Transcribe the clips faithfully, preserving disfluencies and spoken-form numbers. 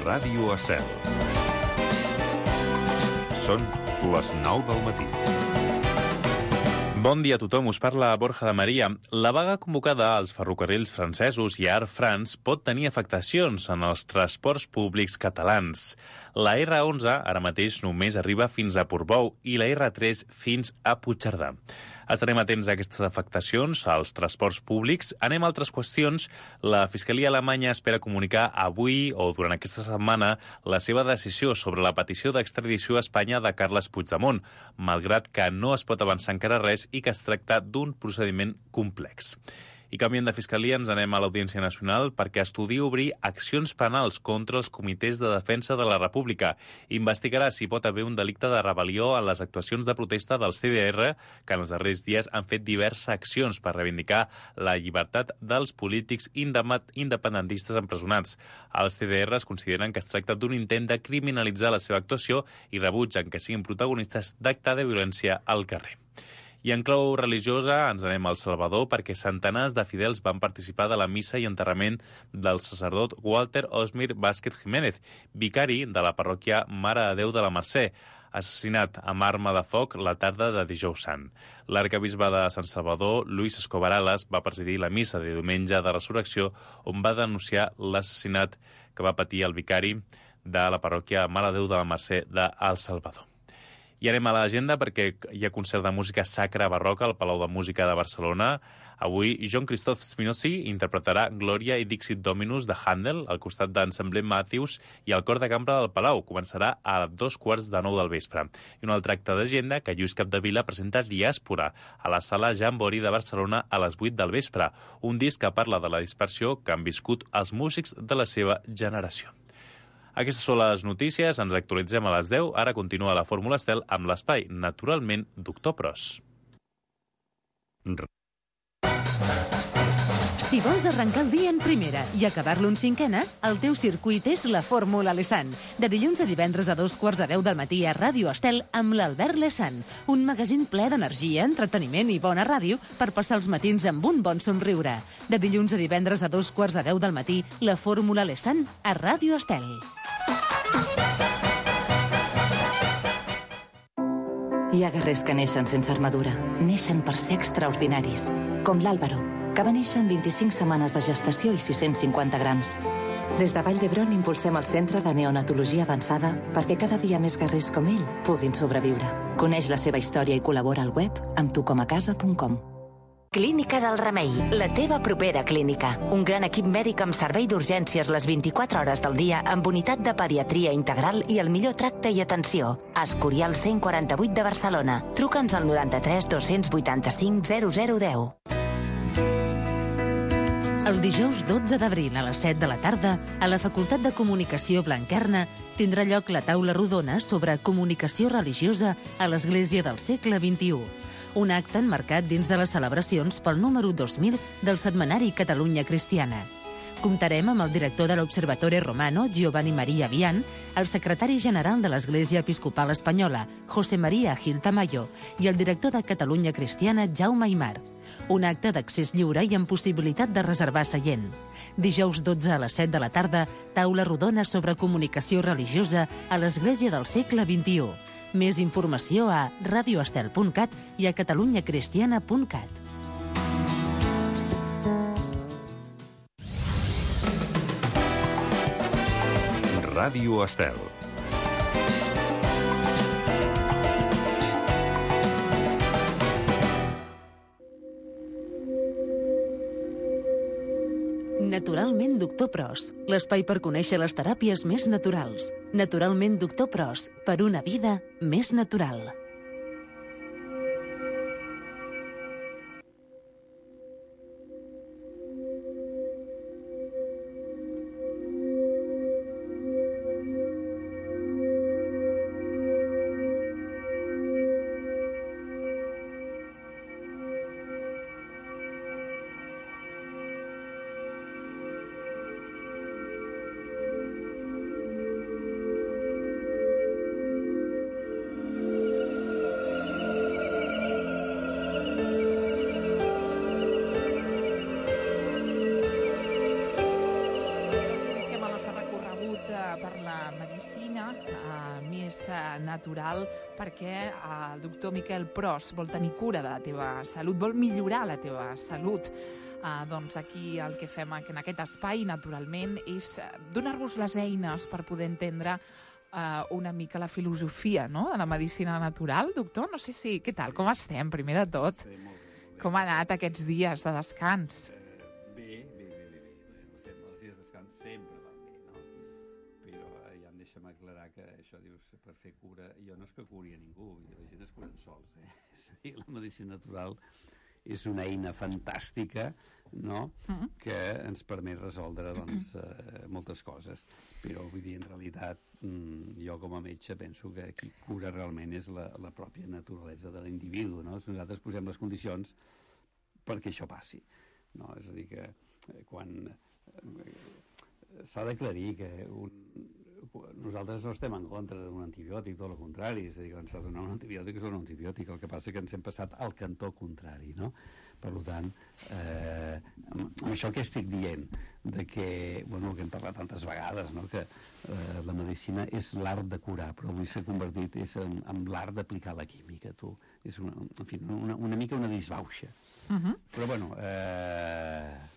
Ràdio Estel. Són les nou del matí. Bon dia a tothom, us parla Borja de Maria. La vaga convocada als ferrocarrils francesos i a Air France pot tenir afectacions en els transports públics catalans. La erre onze ara mateix només arriba fins a Portbou i la erre tres fins a Puigcerdà. Estarem atents a aquestes afectacions als transports públics. Anem a altres qüestions. La Fiscalia alemanya espera comunicar avui o durant aquesta setmana la seva decisió sobre la petició d'extradició a Espanya de Carles Puigdemont, malgrat que no es pot avançar encara res i que es tracta d'un procediment complex. I canviant de Fiscalia ens anem a l'Audiència Nacional perquè estudia obrir accions penals contra els comitès de defensa de la República. Investigarà si pot haver un delicte de rebel·lió en les actuacions de protesta del ce de erre, que en els darrers dies han fet diverses accions per reivindicar la llibertat dels polítics independentistes empresonats. Els ce de erre es consideren que es tracta d'un intent de criminalitzar la seva actuació i rebutgen que siguin protagonistes d'acte de violència al carrer. I en clau religiosa ens anem al Salvador perquè centenars de fidels van participar de la missa i enterrament del sacerdot Walter Osmir Vázquez Jiménez, vicari de la parròquia Mare de Déu de la Mercè, assassinat amb arma de foc la tarda de dijous sant. L'arquebisbe de Sant Salvador, Luis Escobar Alas, va presidir la missa de diumenge de resurrecció on va denunciar l'assassinat que va patir el vicari de la parròquia Mare de Déu de la Mercè de El Salvador. I anem a l'agenda perquè hi ha concert de música sacra barroca al Palau de Música de Barcelona. Avui, Jean-Christophe Spinozzi interpretarà Gloria i Dixit Dominus de Handel al costat d'Ensemble Matthews i el cor de cambra del Palau. Començarà a dos quarts de nou del vespre. I un altre acte d'agenda que Lluís Capdevila presenta Diàspora a la sala Jambori de Barcelona a les vuit del vespre. Un disc que parla de la dispersió que han viscut els músics de la seva generació. Aquestes són les notícies, ens actualitzem a les deu. Ara continua la Fórmula Estel amb l'espai, naturalment, Doctor Pros. Si vols arrencar el dia en primera i acabar-lo en cinquena, el teu circuit és la Fórmula Lesan. De dilluns a divendres a dos quarts de deu del matí a Ràdio Estel amb l'Albert Lesan. Un magazín ple d'energia, entreteniment i bona ràdio per passar els matins amb un bon somriure. De dilluns a divendres a dos quarts de deu del matí, la Fórmula Lesan a Ràdio Estel. Hi ha guerrers que neixen sense armadura. Neixen per ser extraordinaris. Com l'Àlvaro, que va néixer en vint-i-cinc setmanes de gestació i sis-cents cinquanta grams. Des de Vall d'Hebron impulsem el Centre de Neonatologia Avançada perquè cada dia més guerrers com ell puguin sobreviure. Coneix la seva història i col·labora al web amb tucomacasa punt com. Clínica del Remei, la teva propera clínica. Un gran equip mèdic amb servei d'urgències les vint-i-quatre hores del dia amb unitat de pediatria integral i el millor tracte i atenció. Escorial cent quaranta-vuit de Barcelona. Truca'ns al noranta-tres dos-cents vuitanta-cinc zero zero deu. El dijous dotze d'abril a les set de la tarda, a la Facultat de Comunicació Blanquerna, tindrà lloc la taula rodona sobre comunicació religiosa a l'Església del segle vint-i-u. Un acte enmarcat dins de les celebracions pel número dos mil del setmanari Catalunya Cristiana. Comptarem amb el director de l'Observatore Romano, Giovanni Maria Vian, el secretari general de l'Església Episcopal Espanyola, José María Gil Tamayo, i el director de Catalunya Cristiana, Jaume Aymar. Un acte d'accés lliure i amb possibilitat de reservar seient. Dijous dotze a les set de la tarda, taula rodona sobre comunicació religiosa a l'Església del segle vint-i-u. Més informació a radioestel punt cat i a catalunyacristiana punt cat. Ràdio Estel. Naturalment Doctor Pros, l'espai per conèixer les teràpies més naturals. Naturalment Doctor Pros, per una vida més natural. uh, natural, perquè uh, el doctor Miquel Pros vol tenir cura de la teva salut, vol millorar la teva salut. Uh, doncs aquí el que fem en aquest espai, naturalment, és uh, donar-vos les eines per poder entendre uh, una mica la filosofia, no?, de la medicina natural. Doctor, no sé si... Què tal? Com estem, primer de tot? Sí, molt bé. Bé. Com ha anat aquests dies de descans? Eh, bé, bé, bé, bé, bé. Els dies de descans sempre van bé, no? Però eh, ja em deixa'm aclarar que això dius, per fer cura... Jo no és que curi a ningú, la gent es curen sols, eh? És a dir, la medicina natural és una eina fantàstica, no?, mm-hmm. que ens permet resoldre, doncs, eh, moltes coses. Però, vull dir, en realitat, mm, jo com a metge penso que qui cura realment és la, la pròpia naturalesa de l'individu, no? Nosaltres posem les condicions perquè això passi, no? És a dir, que eh, quan... Eh, s'ha d'aclarir que un, nosaltres no estem en contra d'un antibiòtic, tot el contrari, és a dir, quan s'ha de donar un antibiòtic és un antibiòtic, el que passa és que ens hem passat al cantó contrari, no? Per tant, eh, amb, amb això que estic dient, de que, bueno, que hem parlat tantes vegades, no?, que eh, la medicina és l'art de curar, però avui s'ha convertit és en, en l'art d'aplicar la química, tu. És una, en fi, una, una mica una disbauxa. Uh-huh. Però, bueno, eh,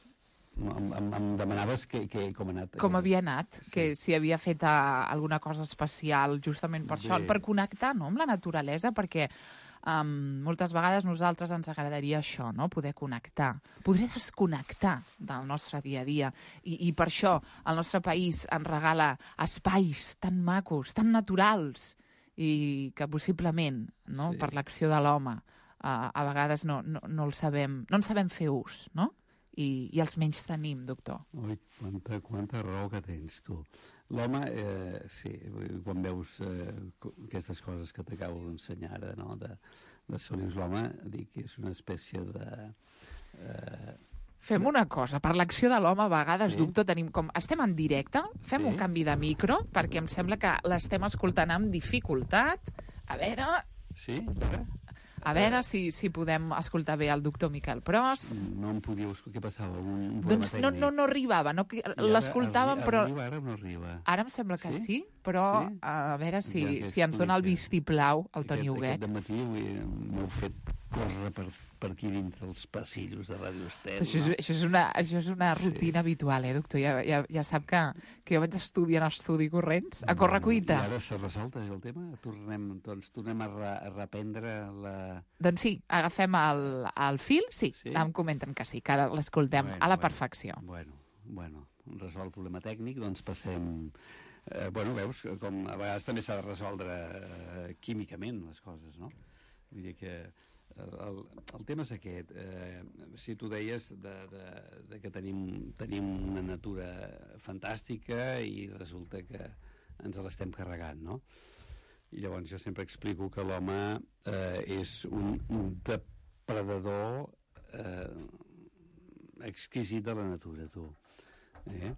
Em, em, em demanaves que, que, com ha anat. Com havia anat, sí. Que si havia fet uh, alguna cosa especial justament per Bé. Això, per connectar, no?, amb la naturalesa, perquè um, moltes vegades nosaltres ens agradaria això, no?, poder connectar, poder desconnectar del nostre dia a dia, i, i per això el nostre país ens regala espais tan macos, tan naturals, i que possiblement, no?, sí. Per l'acció de l'home, uh, a vegades no, no, no el sabem, no en sabem fer ús, no?, I, i els menys tenim, doctor. Ui, quanta, quanta raó que tens, tu. L'home, eh, sí, quan veus eh, aquestes coses que t'acabo d'ensenyar ara, no?, de, de solius, l'home, dic que és una espècie de... Eh, Fem una cosa, per l'acció de l'home, a vegades, sí. Doctor, tenim com... Estem en directe, fem sí. Un canvi de micro, perquè em sembla que l'estem escoltant amb dificultat. A veure... Sí? Ara? A veure si, si podem escoltar bé el doctor Miquel Pros. No em podíeu escoltar, què passava? Un, un doncs no, no, no arribava, no, l'escoltàvem, però... Arriba, ara no arriba. Ara em sembla que sí, sí però sí? a veure si, ja si ens dona el vistiplau el Toni Huguet. Aquest dematí m'heu fet córrer per, per aquí dintre els passillos de Ràdio Estel. Això, és, això, és una, això és una rutina sí. Habitual, eh, doctor? Ja, ja, ja sap que, que jo vaig estudiar en estudi corrents, a correcuita. I ara s'ha resolt el tema? Tornem, doncs, tornem a, re, a reprendre la... Doncs sí, agafem el, el fil, sí, sí? Em comenten que sí, que ara l'escoltem bueno, a la perfecció. Bueno, bueno, resolt el problema tècnic, doncs passem... Eh, bueno, veus, com a vegades també s'ha de resoldre eh, químicament les coses, no? Vull dir que el, el tema és aquest. Eh, si tu deies de, de, de que tenim, tenim una natura fantàstica i resulta que ens l'estem carregant, no? I llavors jo sempre explico que l'home eh, és un, un depredador eh, exquisit de la natura, tu. Eh?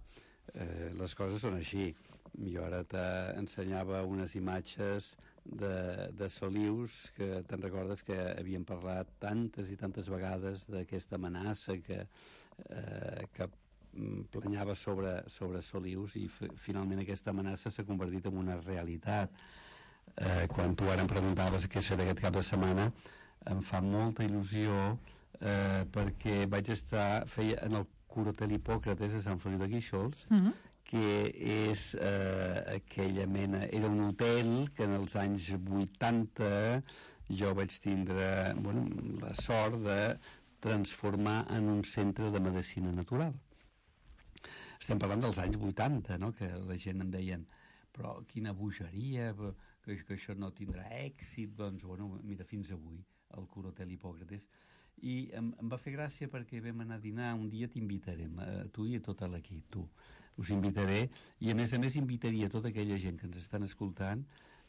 Eh, les coses són així. Jo ara t'ensenyava unes imatges de, de solius que te'n recordes que havíem parlat tantes i tantes vegades d'aquesta amenaça que, eh, que planyava sobre, sobre solius i finalment aquesta amenaça s'ha convertit en una realitat. Eh, quan tu ara em preguntaves què és fet aquest cap de setmana, em fa molta il·lusió eh, perquè vaig estar feia en el Curotel Hipòcrates a Sant Feliu de Guíxols, mm-hmm. que és eh, aquella mena... Era un hotel que en els anys vuitanta jo vaig tindre bueno, la sort de transformar en un centre de medicina natural. Estem parlant dels anys vuitanta, no?, que la gent em deien però quina bogeria, que, que això no tindrà èxit. Doncs, bueno, mira, fins avui, el Curotel Hipòcrates. I em, em va fer gràcia perquè vam anar a dinar, un dia t'invitarem, a tu i a tot l'equip, tu. Us invitaré, i a més a més invitaria tota aquella gent que ens estan escoltant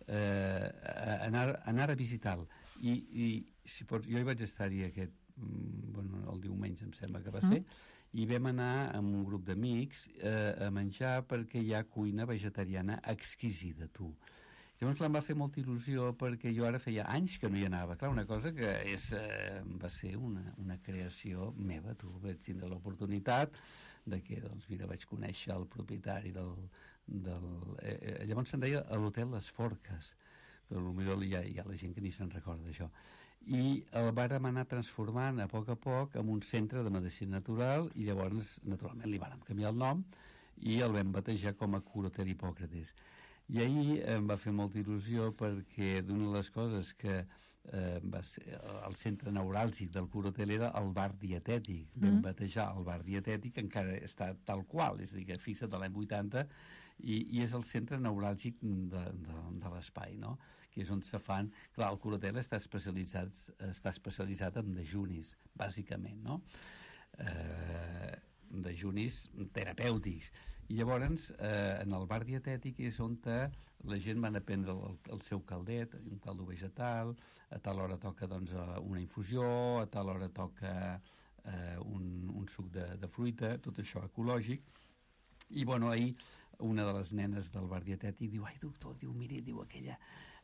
eh, a anar, a anar a visitar-lo. I, i si pots, jo hi vaig estar-hi aquest, bueno, el diumenge em sembla que va ser, mm. i vam anar amb un grup d'amics eh, a menjar perquè hi ha cuina vegetariana exquisida, tu. Llavors, clar, em va fer molta il·lusió perquè jo ara feia anys que no hi anava. Clar, una cosa que és, eh, va ser una, una creació meva. Tu vaig tindre l'oportunitat de que, doncs, mira, vaig conèixer el propietari del, del eh, llavors se'n deia l'hotel Les Forques, que potser hi ha, hi ha la gent que ni se'n recorda d'això, i el vàrem anar transformant a poc a poc en un centre de medicina natural, i llavors naturalment li vàrem canviar el nom i el vam batejar com a Cura Hotel Hipòcrates. I ahir em va fer molta il·lusió perquè d'una de les coses que eh, va ser el centre neuràlgic del Cura Hotel era el bar dietètic. Mm. Vam batejar el bar dietètic, encara està tal qual, és a dir, que fixa't a l'any vuitanta, i, i és el centre neuràlgic de, de, de l'espai, no? Que és on se fan... Clar, el Cura Hotel està especialitzat, està especialitzat en dejunis, bàsicament, no? Eh, dejunis terapèutics. I llavors, eh, en el bar dietètic és on la gent van a prendre el, el seu caldet, un caldo vegetal, a tal hora toca doncs, una infusió, a tal hora toca eh, un, un suc de, de fruita, tot això ecològic. I, bueno, ahir una de les nenes del bar dietètic diu, ai, doctor, diu, miri, diu, aquella,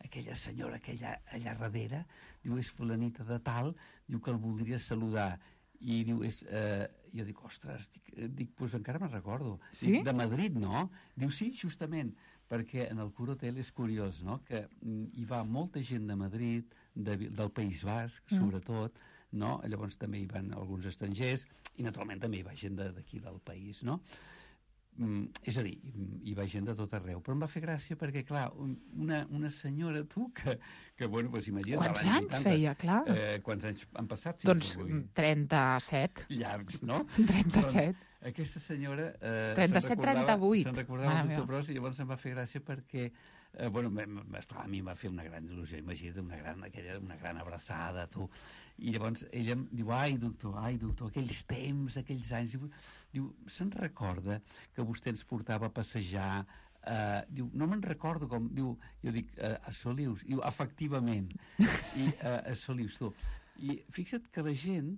aquella senyora aquella allà darrere, diu, és fulanita de tal, diu que el voldria saludar. I diu, és, eh, jo dic, ostres, dic, dic pues encara me'n recordo. Sí? Dic, de Madrid, no? Diu, sí, justament, perquè en el Cura Hotel és curiós, no?, que mm, hi va molta gent de Madrid, de, del País Basc, mm. sobretot, no? Llavors també hi van alguns estrangers, i naturalment també hi va gent d'aquí del país, no? Mm, és a dir, hi va gent de tot arreu, però em va fer gràcia perquè, clar, una, una senyora, tu, que, que bueno, doncs imagina't... Quants anys vuitanta, feia, clar? Eh, quants anys han passat? Doncs trenta-set. Llargs, no? trenta-set. Doncs, aquesta senyora... Eh, trenta-set trenta-vuit. Se'n recordava el doctor Pros, i llavors em va fer gràcia perquè... Eh, bueno, esclar, a mi em va fer una gran il·lusió, imagina't, una gran, aquella, una gran abraçada, tu. I llavors ella em diu, ai, doctor, ai, doctor, aquells temps, aquells anys... Diu, diu se'n recorda que vostè ens portava a passejar? Eh, diu, no me'n recordo com... Diu, jo dic, eh, a Solius. Diu, efectivament. I eh, a Solius, tu. I fixa't que la gent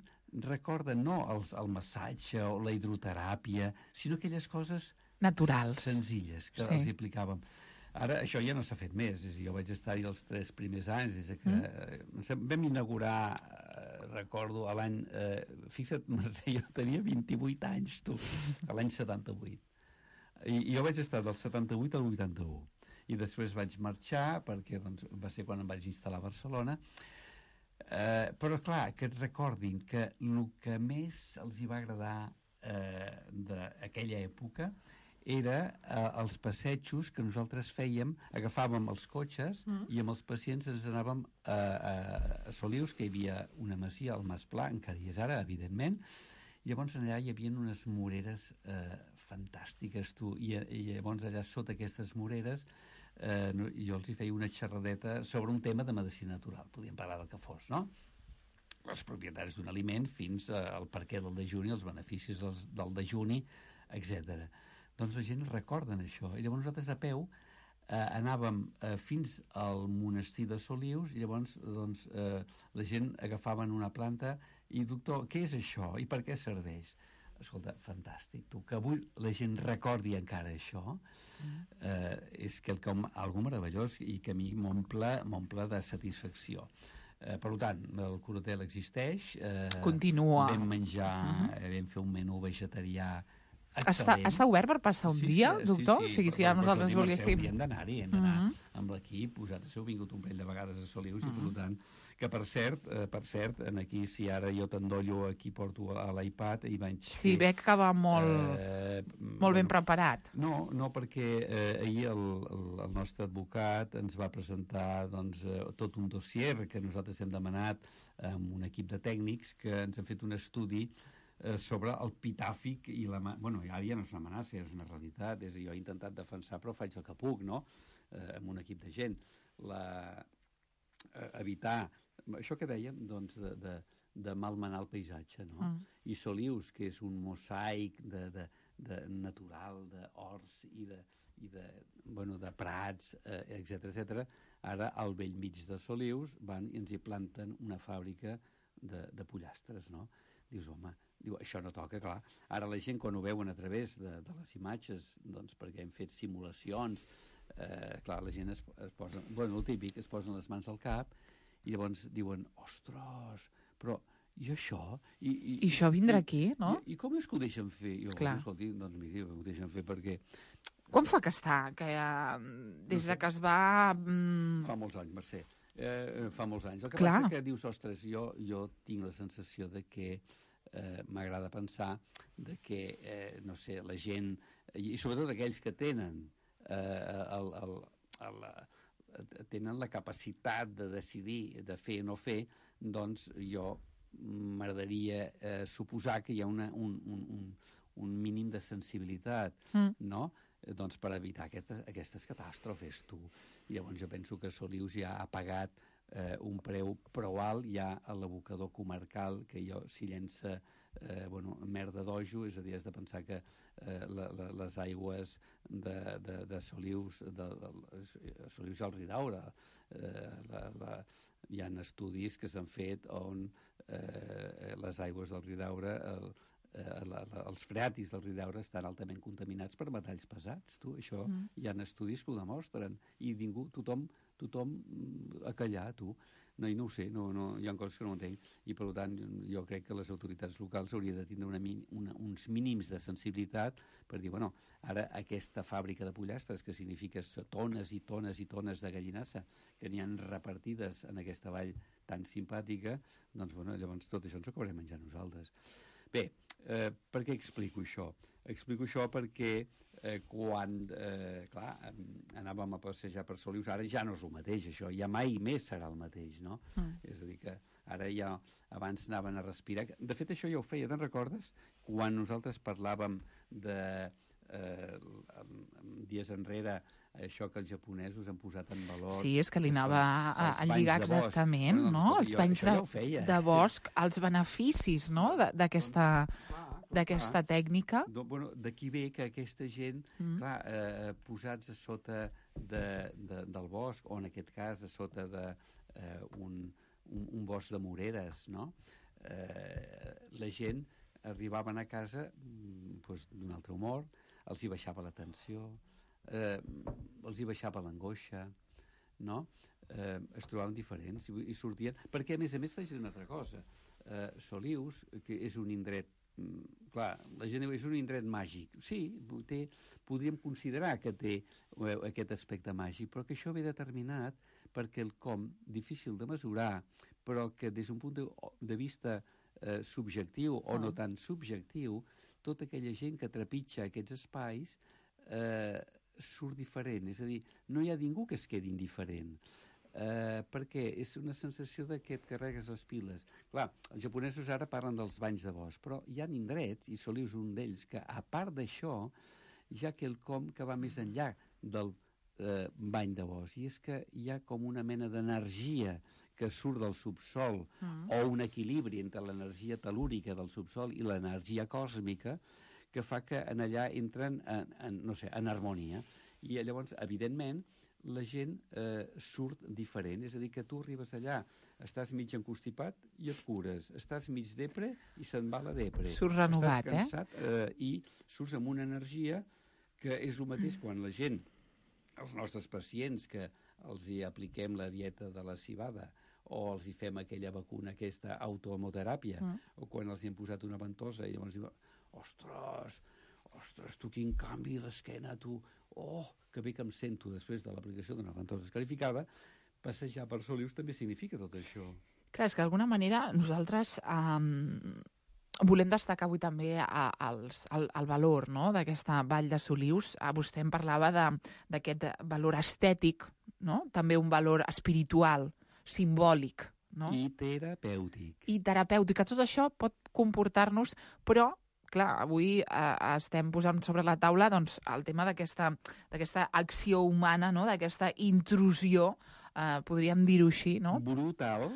recorda no els, el massatge o la hidroteràpia, sinó aquelles coses... naturals. Senzilles, que sí. els hi aplicàvem. Ara, això ja no s'ha fet més. És a dir, jo vaig estar-hi els tres primers anys, des que mm. vam inaugurar, eh, recordo, a l'any... Eh, fixa't, Mercè, jo tenia vint-i-vuit anys, tu, a l'any setanta-vuit. I, I jo vaig estar del setanta-vuit al vuitanta-u. I després vaig marxar, perquè doncs, va ser quan em vaig instal·lar a Barcelona. Eh, però, clar, que et recordin que el que més els hi va agradar eh, d'aquella època era eh, els passejos que nosaltres fèiem, agafàvem els cotxes mm. i amb els pacients ens anàvem a, a, a Solius, que hi havia una masia, al Mas Pla, encara hi és ara, evidentment, i llavors allà hi havia unes moreres eh, fantàstiques, tu, i, i llavors allà sota aquestes moreres eh, jo els hi feia una xerradeta sobre un tema de medicina natural, podíem parlar del que fos, no? Els propietaris d'un aliment fins al perquè del dejuni, els beneficis dels, del dejuni, etcètera. Doncs la gent recorden això. I llavors nosaltres a peu eh, anàvem eh, fins al monestir de Solius i llavors doncs, eh, la gent agafaven una planta i, doctor, què és això i per què serveix? Escolta, fantàstic, tu, que avui la gent recordi encara això, eh, és quelcom, algo meravellós i que a mi m'omple m'omple de satisfacció. Eh, per tant, el Cura Hotel existeix. Eh, Continua. Vam menjar, uh -huh. vam fer un menú vegetarià Està, està obert per passar un sí, dia, sí, doctor? Sí, sí, o sigui, si ara nosaltres volguéssim... Hauríem d'anar-hi, hem d'anar uh -huh. amb l'equip, vosaltres heu vingut un parell de vegades a Solius, uh -huh. i per tant, que per cert, eh, per cert, en aquí, si ara jo t'endollo, aquí porto a l'iPad i vaig Sí, fer, veig que va molt, eh, molt ben preparat. No, no, perquè eh, ahir el, el, el nostre advocat ens va presentar doncs, eh, tot un dossier que nosaltres hem demanat amb un equip de tècnics que ens han fet un estudi sobre el pitàfic i la... Bueno, ara ja no és una amenaça, és una realitat. És, jo he intentat defensar, però faig el que puc, no?, eh, amb un equip de gent. La, eh, evitar... Això que dèiem, doncs, de, de, de malmenar el paisatge, no? Mm. I Solius, que és un mosaic de, de, de natural, d'horts i de, i de, bueno, de prats, eh, etcètera, etcètera, ara al vell mig de Solius van i ens hi planten una fàbrica de, de pollastres, no? Dius, home, diu, això no toca, clar. Ara la gent, quan ho veuen a través de, de les imatges, doncs perquè hem fet simulacions, eh, clar, la gent es, es posa... Bueno, el típic, es posen les mans al cap i llavors diuen, ostres, però i això? I, i, I això vindrà aquí, no? I, i com és que ho deixen fer? Jo, clar. Escolti, doncs miri, ho deixen fer perquè Quan fa que està? Que, uh, des de que es va... Mm... Fa molts anys, Mercè. Eh, fa molts anys. El que Clar. passa que dius, ostres, jo, jo tinc la sensació de que eh, m'agrada pensar de que, eh, no sé, la gent, i sobretot aquells que tenen eh, el, el, el, el, tenen la capacitat de decidir, de fer o no fer, doncs jo m'agradaria eh, suposar que hi ha una, un, un, un, un mínim de sensibilitat, mm. no?, doncs per evitar aquestes, aquestes catàstrofes, tu. I llavors jo penso que Solius ja ha pagat eh, un preu prou alt ja a l'abocador comarcal, que jo si llença eh, bueno, merda d'ojo, és a dir, has de pensar que eh, la, la, les aigües de, de, de Solius, de, de Solius i el Ridaura, eh, la, la, hi ha estudis que s'han fet on eh, les aigües del Ridaura... El, Eh, la, la, els freatis del Ridaura estan altament contaminats per metalls pesats, tu, això mm. hi ha estudis que ho demostren, i ningú, tothom, tothom a callar, tu, no, i no ho sé, no, no, hi ha coses que no entenc, i per tant jo crec que les autoritats locals haurien de tindre una, una, uns mínims de sensibilitat per dir, bueno, ara aquesta fàbrica de pollastres, que significa tones i tones i tones de gallinassa, que n'hi han repartides en aquesta vall tan simpàtica, doncs bueno, llavors tot això ens ho acabarem menjar nosaltres. Bé, eh, per què explico això? Explico això perquè eh, quan, eh, clar, anàvem a passejar per Solius, ara ja no és el mateix, això, ja mai més serà el mateix, no? Mm. És a dir, que ara ja, abans anaven a respirar. De fet, això ja ho feia, te'n recordes? Quan nosaltres parlàvem de... Eh, dies enrere, això que els japonesos han posat en valor... Sí, és que li anava a, a lligar exactament, no? no? Els banys de, feia, de bosc, els beneficis, no?, d'aquesta doncs, tècnica. Do, bueno, d'aquí ve que aquesta gent, mm. clar, eh, posats a sota de, de, del bosc, o en aquest cas a sota d'un de, eh, un, un, un bosc de moreres, no? Eh, la gent arribaven a casa doncs, d'un altre humor, els hi baixava la tensió, eh, els hi baixava l'angoixa, no? Eh, es trobaven diferents i, i sortien... Perquè, a més a més, t'haig de dir una altra cosa. Eh, Solius, que és un indret... Clar, la gent diu, és un indret màgic. Sí, té, podríem considerar que té eh, aquest aspecte màgic, però que això ve determinat perquè el com, difícil de mesurar, però que des d'un punt de, de vista eh, subjectiu o ah. no tan subjectiu, tota aquella gent que trepitja aquests espais eh, surt diferent. És a dir, no hi ha ningú que es quedi indiferent. Eh, perquè és una sensació de que et carregues les piles. Clar, els japonesos ara parlen dels banys de bosc, però hi ha indrets, i Solius un d'ells, que a part d'això, hi ha quelcom que va més enllà del eh, bany de bosc, i és que hi ha com una mena d'energia que surt del subsol, mm. o un equilibri entre l'energia telúrica del subsol i l'energia còsmica, que fa que en allà entren en, en, no sé, en harmonia. I llavors, evidentment, la gent eh, surt diferent. És a dir, que tu arribes allà, estàs mig encostipat i et cures. Estàs mig depre i se'n va la depre. Surts renovat, estàs cansat, eh? eh? I surts amb una energia que és el mateix quan la gent, els nostres pacients, que els hi apliquem la dieta de la civada, o els hi fem aquella vacuna, aquesta autohemoteràpia, mm. o quan els hi hem posat una ventosa i llavors diuen, ostres, ostres, tu quin canvi l'esquena, tu, oh, que bé que em sento després de l'aplicació d'una ventosa escarificada. Passejar per Solius també significa tot això. Clar, és que d'alguna manera nosaltres um, volem destacar avui també a, als, el, el valor, no?, d'aquesta vall de Solius. A vostè em parlava d'aquest valor estètic, no?, també un valor espiritual, simbòlic, no? I terapèutic. I terapèutic, que tot això pot comportar-nos, però, clar, avui eh, estem posant sobre la taula doncs, el tema d'aquesta d'aquesta acció humana, no?, d'aquesta intrusió, eh, podríem dir-ho així, no? Brutal,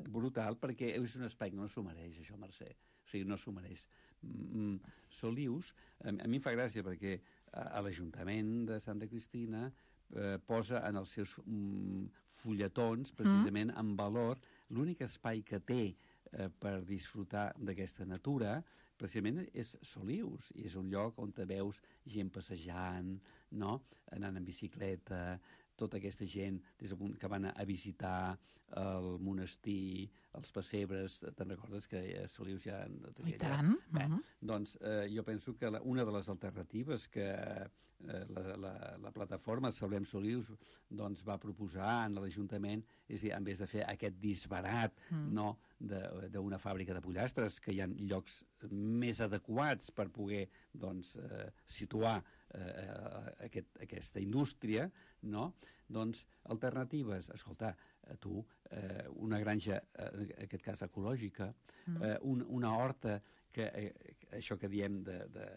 brutal, perquè és un espai que no s'ho mereix, això, Mercè. O sigui, no s'ho mereix. Mm, Solius, a, a mi em fa gràcia perquè a, a l'Ajuntament de Santa Cristina Eh, posa en els seus mm, fulletons, precisament, mm. en valor l'únic espai que té eh, per disfrutar d'aquesta natura, precisament és Solius, i és un lloc on te veus gent passejant, no?, anant en bicicleta, tota aquesta gent des del punt que van a visitar el monestir, els pessebres, te'n recordes que a Solius ja... I tant. Bé, uh -huh. Doncs eh, jo penso que la, una de les alternatives que eh, la, la, la plataforma Salvem Solius doncs, va proposar en l'Ajuntament és dir, en vez de fer aquest disbarat mm. no, d'una fàbrica de pollastres, que hi ha llocs més adequats per poder doncs, eh, situar eh, aquest, aquesta indústria, no? Doncs alternatives, escolta, tu, eh, una granja, eh, en aquest cas ecològica, mm. eh, un, una horta, que eh, això que diem de, de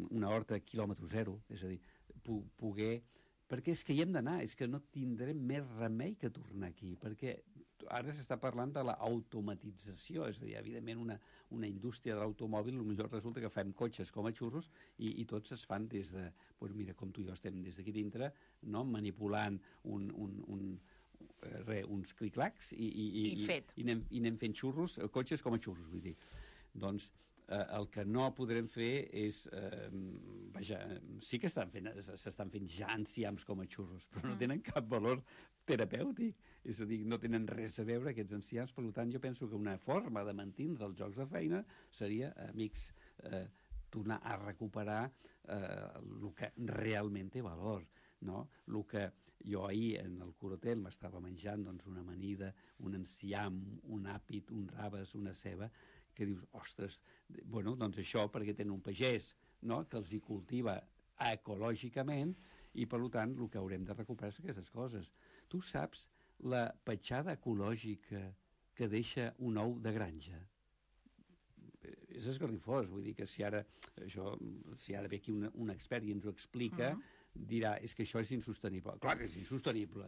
una horta quilòmetre zero, és a dir, poder... Perquè és que hi hem d'anar, és que no tindrem més remei que tornar aquí, perquè ara s'està parlant de l'automatització, és a dir, evidentment una, una indústria de l'automòbil, potser resulta que fem cotxes com a xurros i, i tots es fan des de, doncs mira, com tu i jo estem des d'aquí dintre, no?, manipulant un, un, un, re, uns clic-clacs i, i, i, I, fet. i, i, anem, i anem fent xurros, cotxes com a xurros, vull dir. Doncs eh, el que no podrem fer és, eh, vaja, sí que s'estan fent ja enciams com a xurros, però no tenen cap valor terapèutic, és a dir, no tenen res a veure aquests enciams, per tant jo penso que una forma de mantenir els jocs de feina seria, amics, eh, tornar a recuperar eh, el que realment té valor, no? El que jo ahir en el Corotel m'estava menjant doncs, una amanida, un enciam, un àpid, un raves, una ceba, que dius, ostres, bueno, doncs això perquè tenen un pagès, no?, que els hi cultiva ecològicament i, per tant, el que haurem de recuperar és aquestes coses. Tu saps la petjada ecològica que deixa un ou de granja? És esgarrifós, vull dir que si ara, això, si ara ve aquí un, un expert i ens ho explica, uh -huh. dirà, és que això és insostenible. Clar que és insostenible,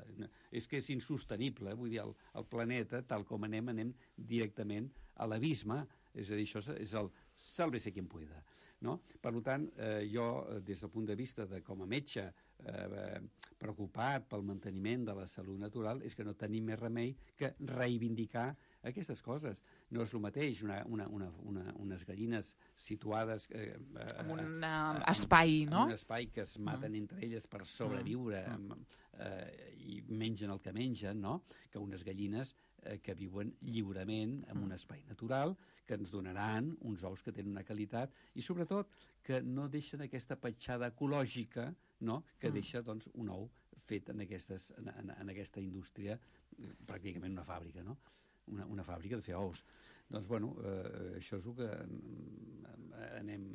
és que és insostenible, vull dir, el, el planeta, tal com anem, anem directament a l'abisme, és a dir, això és el sálvese quien pueda, no? Per tant, eh, jo, des del punt de vista de com a metge, eh, preocupat pel manteniment de la salut natural, és que no tenim més remei que reivindicar aquestes coses. No és el mateix una, una, una, una, unes gallines situades eh, en un eh, espai, no? En un espai que es maten mm. entre elles per sobreviure mm. eh, i mengen el que mengen, no? Que unes gallines eh, que viuen lliurement en mm. un espai natural, que ens donaran uns ous que tenen una qualitat i sobretot que no deixen aquesta petjada ecològica, no? Que mm. deixa doncs, un ou fet en, aquestes, en, en, en aquesta indústria, pràcticament una fàbrica, no? Una, una fàbrica de fer ous. Doncs, bueno, eh, això és el que eh, anem...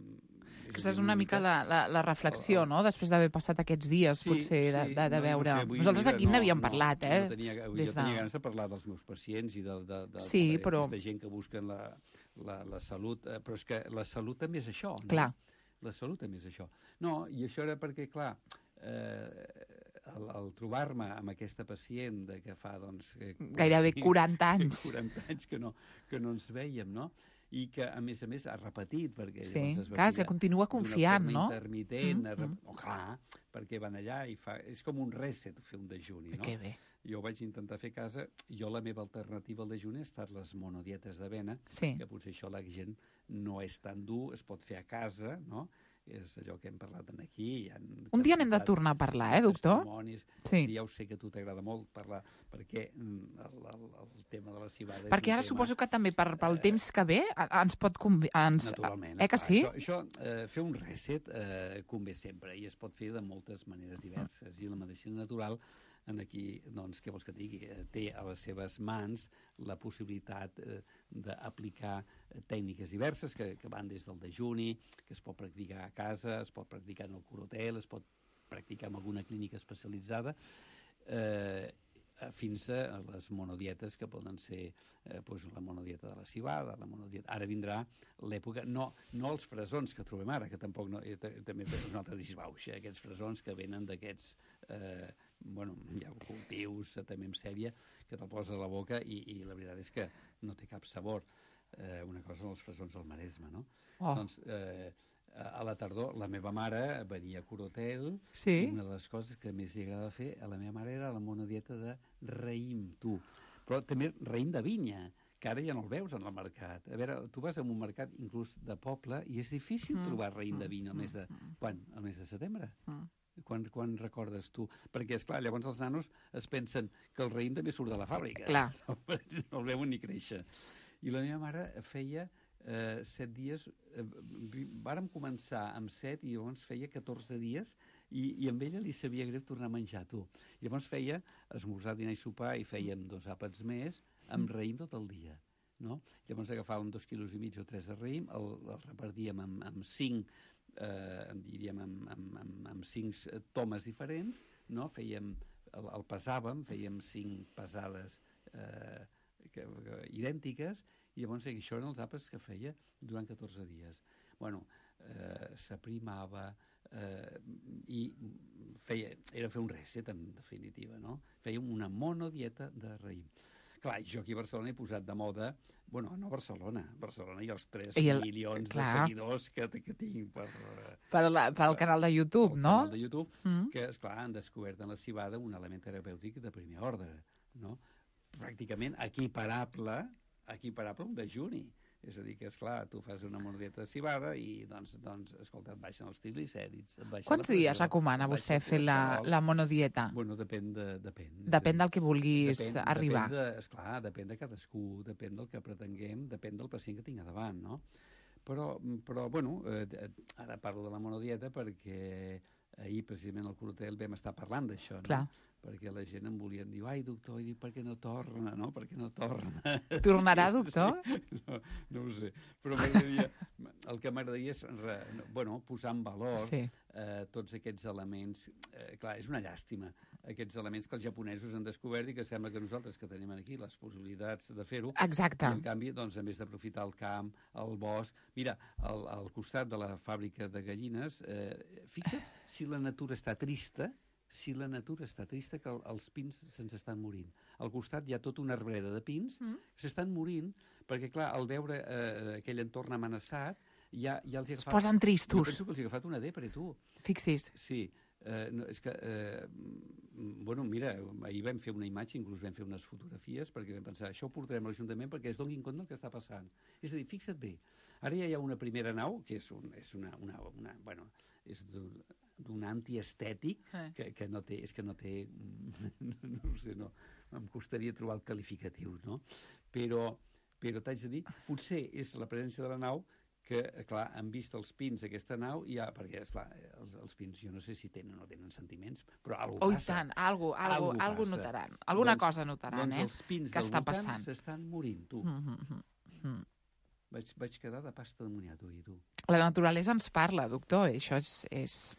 Aquesta és una mica la, la, la reflexió, no?, després d'haver passat aquests dies, sí, potser, sí, de, de, de no, veure... No sé, nosaltres aquí no, n'havíem no, parlat, eh? No tenia, jo Des tenia de... ganes de parlar dels meus pacients i de, de, de, sí, de, però... de gent que busquen la, la, la salut, eh, però és que la salut també és això, no? Clar. La salut també és això. No, i això era perquè, clar, eh, al, al trobar-me amb aquesta pacient de que fa, doncs... Que, gairebé quaranta anys. quaranta anys que no, que no ens vèiem, no? I que, a més a més, ha repetit, perquè... Sí, llavors es va clar, és que continua confiant, no? Intermitent, mm -hmm. oh, clar, perquè van allà i fa... És com un reset fer un dejuni, no? Que bé. Jo ho vaig intentar fer a casa. Jo la meva alternativa al dejuni ha estat les monodietes d'avena, sí. que potser això la gent no és tan dur, es pot fer a casa, no? És allò que hem parlat aquí. Un dia n'hem de tornar a parlar, eh, doctor? Sí. Ja ho sé que a tu t'agrada molt parlar, perquè el, el, el tema de la cibada... Perquè ara tema, suposo que també per, pel eh, temps que ve ens pot convé... Ens... Naturalment. Eh que sí? Això, això eh, fer un reset eh, convé sempre i es pot fer de moltes maneres diverses. I la medicina natural en aquí, doncs, què vols que et digui? Té a les seves mans la possibilitat eh, d'aplicar tècniques diverses que, que van des del dejuni, que es pot practicar a casa, es pot practicar en el Corotel, es pot practicar en alguna clínica especialitzada, eh, fins a les monodietes que poden ser eh, doncs la monodieta de la cibada, la monodieta... Ara vindrà l'època, no, no els fresons que trobem ara, que tampoc no, eh, també és un altre disbauxa, aquests fresons que venen d'aquests eh, bueno, hi ha cultius també en sèrie que te'l poses a la boca i, i la veritat és que no té cap sabor. Eh, una cosa són els fresons al Maresme, no? Oh. Doncs eh, a la tardor la meva mare venia a Corotel, sí? I una de les coses que més li agradava fer a la meva mare era la monodieta de raïm, tu. Però també raïm de vinya, que ara ja no el veus en el mercat. A veure, tu vas a un mercat inclús de poble i és difícil mm. trobar raïm de vinya al mes de... Mm. Quan? Al mes de setembre? Mm. Quan, quan recordes tu? Perquè, esclar, llavors els nanos es pensen que el raïm també surt de la fàbrica. Clar. No, no el veuen ni créixer. I la meva mare feia eh, set dies... Eh, vàrem començar amb set i llavors feia catorze dies i, i amb ella li sabia greu tornar a menjar, tu. I llavors feia esmorzar, dinar i sopar i fèiem dos àpats més amb raïm tot el dia. No? Llavors agafàvem dos quilos i mig o tres de raïm, el, el repartíem amb, amb cinc Eh, diríem amb, amb, amb, amb cinc tomes diferents, no? Fèiem, el, el pesàvem, fèiem cinc pesades eh, que, que, idèntiques, i llavors això eren els àpats que feia durant catorze dies. Bueno, eh, s'aprimava eh, i feia, era fer un reset, en definitiva, no? Fèiem una monodieta de raïm. Clar, jo aquí a Barcelona he posat de moda, bueno, no a Barcelona, Barcelona i els tres I el, milions clar. de seguidors que, que tinc per... Per, la, per el canal de YouTube, no? El canal de YouTube, mm. que, esclar, han descobert en la civada un element terapèutic de primer ordre, no? Pràcticament equiparable, equiparable a un dejuni. És a dir, que, esclar, tu fas una monodieta de civada i, doncs, doncs escolta, et baixen els triglicèrids... Quants dies recomana vostè fer la, la monodieta? Bueno, depèn de... Depèn, depèn del que vulguis depèn, arribar. Depèn de, esclar, depèn de cadascú, depèn del que pretenguem, depèn del pacient que tinc a davant, no? Però, però bueno, eh, ara parlo de la monodieta perquè ahir, precisament, al Corotel vam estar parlant d'això, no? Clar. Perquè la gent em volia dir, ai, doctor, i dic, per què no torna, no? Per què no torna? Tornarà, doctor? No, no ho sé, però m'agradaria... El que m'agradaria és, re, bueno, posar en valor sí. eh, tots aquests elements. Eh, clar, és una llàstima, aquests elements que els japonesos han descobert i que sembla que nosaltres, que tenim aquí les possibilitats de fer-ho... Exacte. I, en canvi, doncs, a més d'aprofitar el camp, el bosc... Mira, al, al costat de la fàbrica de gallines, eh, fixa't si la natura està trista, si la natura està trista, que el, els pins se'ns estan morint. Al costat hi ha tota una arbreda de pins mm. que s'estan morint, perquè, clar, al veure eh, aquell entorn amenaçat, ja, ja els hi ha agafat... Es posen tristos. Jo penso que els hi ha agafat una depre, tu. Fixis. Sí. Eh, no, és que, eh, bueno, mira, ahir vam fer una imatge, inclús vam fer unes fotografies, perquè vam pensar, això ho portarem a l'Ajuntament perquè es donin compte del que està passant. És a dir, fixa't bé, ara ja hi ha una primera nau, que és, un, és una, una, una, bueno, és d'un antiestètic, eh. que, que no té, és que no té, no, no sé, no, em costaria trobar el qualificatiu, no? Però, però t'haig de dir, potser és la presència de la nau que, clar, han vist els pins d'aquesta nau i ja, perquè, esclar, els, els pins jo no sé si tenen o no tenen sentiments, però alguna oh, passa. Oh, tant, algo, algo, algo, algo notaran. Alguna doncs, cosa notaran, doncs eh? Els pins que del està voltant passant. S'estan morint, tu. Mm -hmm. mm. Vaig, vaig quedar de pasta de moniato, i tu. La naturalesa ens parla, doctor, i això és... és...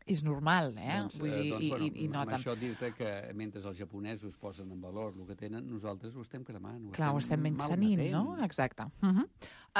És normal, eh? Doncs, Vull dir, doncs, i, bueno, i, i no amb tant. això dir-te que mentre els japonesos posen en valor el que tenen, nosaltres ho estem cremant. Ho Clar, estem ho estem menys tenint, no? Exacte. Uh -huh.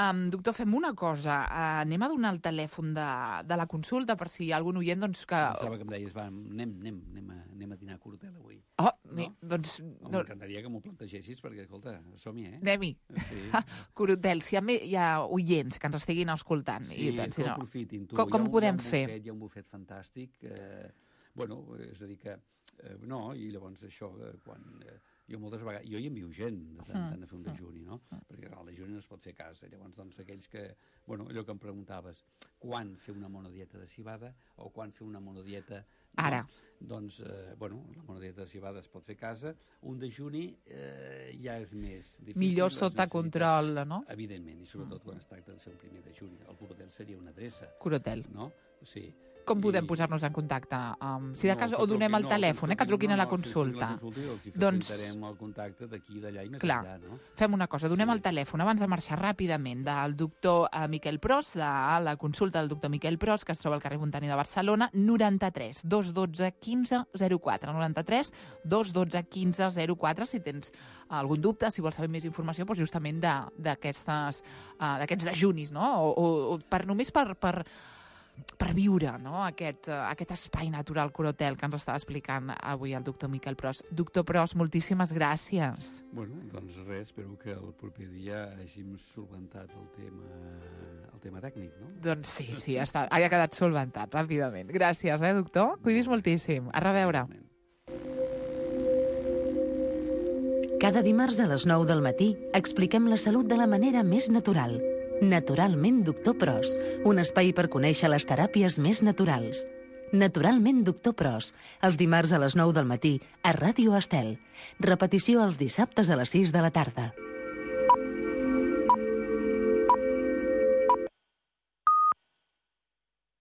um, doctor, fem una cosa. Uh, anem a donar el telèfon de, de la consulta per si hi ha algun oient doncs, que... Pensava que em deies, va, anem, anem, anem, a, anem a dinar a Corotel avui. Oh, no? mi, doncs... M'encantaria que m'ho plantegessis, perquè, escolta, som-hi, eh? Anem-hi. Sí. Corotel, si hi ha, hi ha oients que ens estiguin escoltant... Sí, i pensin, que ho aprofitin, tu. Com, com un, ho podem hi fer? Bufet, hi ha un bufet fantàstic... Eh, bueno, és a dir que... Eh, no, i llavors això, eh, quan... Eh, jo moltes vegades... Jo hi envio gent de tant, tant a fer un dejuni, no? Perquè el dejuni no es pot fer a casa. Llavors, doncs, aquells que... Bueno, allò que em preguntaves, quan fer una monodieta de civada o quan fer una monodieta... Ara. No? Doncs, eh, bueno, la monodieta de civada es pot fer a casa. Un dejuni eh, ja és més difícil. Millor sota control, no? Evidentment, i sobretot quan es tracta de fer un primer dejuni. El Corotel seria una adreça. Corotel. No? Sí. Com podem I... posar-nos en contacte? Um, si de cas, no, o donem el no, telèfon, eh, que truquin no, no, a la consulta. Si truquin a la consulta i els doncs, facilitarem el contacte d'aquí, d'allà i més clar, enllà, no? Fem una cosa, donem sí. el telèfon abans de marxar ràpidament del doctor uh, Miquel Pros, de la consulta del doctor Miquel Pros, que es troba al carrer Montani de Barcelona, noranta-tres dos dotze quinze zero quatre, noranta-tres dos dotze quinze zero quatre, si tens algun dubte, si vols saber més informació, doncs justament d'aquests uh, dejunis, no? O, o, o per només per... per per viure, no? aquest, uh, aquest espai natural Corotel que ens està explicant avui el doctor Miquel Pros. Doctor Pros, moltíssimes gràcies. Bueno, doncs res, espero que el proper dia hàgim solventat el tema, el tema tècnic, no? Doncs sí, sí, està, ha quedat solventat ràpidament. Gràcies, eh, doctor? Cuidis moltíssim. A reveure. Cada dimarts a les nou del matí expliquem la salut de la manera més natural. Naturalment Doctor Pros, un espai per conèixer les teràpies més naturals. Naturalment Doctor Pros, els dimarts a les nou del matí a Ràdio Estel. Repetició els dissabtes a les sis de la tarda.